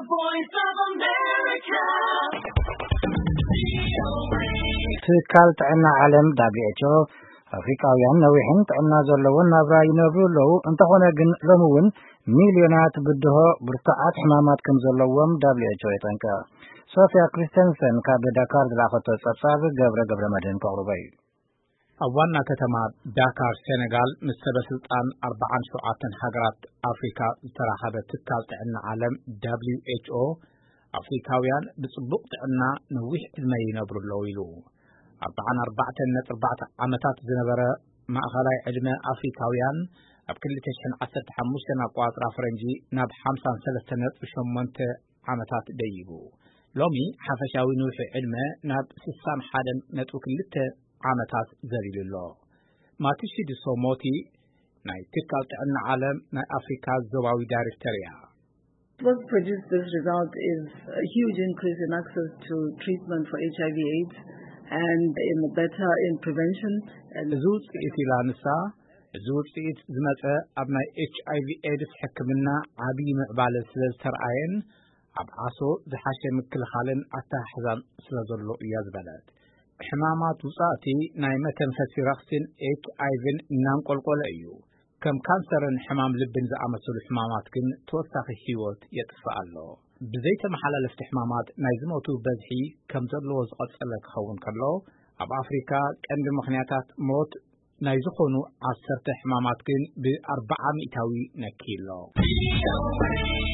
Voice of America. ትካል ጥዕና ዓለም W H O ኣፍሪካውያን ነዊሕን ጥዕና ዘለዎን ናብራ ይነብሩ ኣለዉ። እንተኾነ ግን ሎሚ እውን ሚልዮናት ብድሆ ብርቱዓት ሕማማት ከም ዘለዎም W H O የጠንቅቕ። ሶፊያ ክሪስተንሰን ካብ ዳካር ዝላኸቶ ጸብጻብ ገብረ ገብረ መድህን ከቕርቦ እዩ። ኣብ ዋና ከተማ ዳካር ሴኔጋል ምስ ሰበ ስልጣን ኣርባዓን ሸውዓተን ሃገራት ኣፍሪካ ዝተራኸበ ትካል ጥዕና ዓለም W H O ኣፍሪካውያን ብጽቡቕ ጥዕና ነዊሕ ዕድመ ይነብሩ ኣለዉ ኢሉ። ኣርባዓን ኣርባዕተን ነጥቢ ኣርባዕተ ዓመታት ዝነበረ ማእኸላይ ዕድመ ኣፍሪካውያን ኣብ ክልተ ሽሕን ዓሰርተ ሓሙሽተን ኣቋጽራ ፈረንጂ ናብ ሓምሳን ሰለስተን ነጥቢ ሸሞንተ ዓመታት ደይቡ። ሎሚ ሓፈሻዊ ንውሒ ዕድመ ናብ ስሳን ሓደን ነጥቢ ክልተ ዓመታት ዘሊሉ ኣሎ። ማትሺድሶ ሞቲ ናይ ትካል ጥዕና ዓለም ናይ ኣፍሪካ ዞባዊ ዳይሬክተር እያ። What produced this result is a huge increase in access to treatment for H I V AIDS and in the better in prevention. And እዚ ውፅኢት ኢላ ንሳ፣ እዚ ውፅኢት ዝመፀ ኣብ ናይ ኤች ኣይ ቪ ኤድስ ሕክምና ዓብዪ ምዕባለ ስለ ዝተርኣየን ኣብ ዓሶ ዝሓሸ ምክልኻልን ኣተሓሕዛን ስለ ዘሎ እያ ዝበለት። ሕማማት ውፃእቲ ናይ መተንፈሲ ረኽሲን ኤች ኣይ ቪን እናንቆልቆለ እዩ። ከም ካንሰርን ሕማም ልብን ዝኣመሰሉ ሕማማት ግን ተወሳኺ ህይወት የጥፍእ ኣሎ። ብዘይተመሓላለፍቲ ሕማማት ናይ ዝሞቱ በዝሒ ከም ዘለዎ ዝቐጸለ ክኸውን ከሎ፣ ኣብ ኣፍሪካ ቀንዲ ምኽንያታት ሞት ናይ ዝኾኑ ዓሰርተ ሕማማት ግን ብኣርባዓ ሚእታዊ ነክዩ ኣሎ።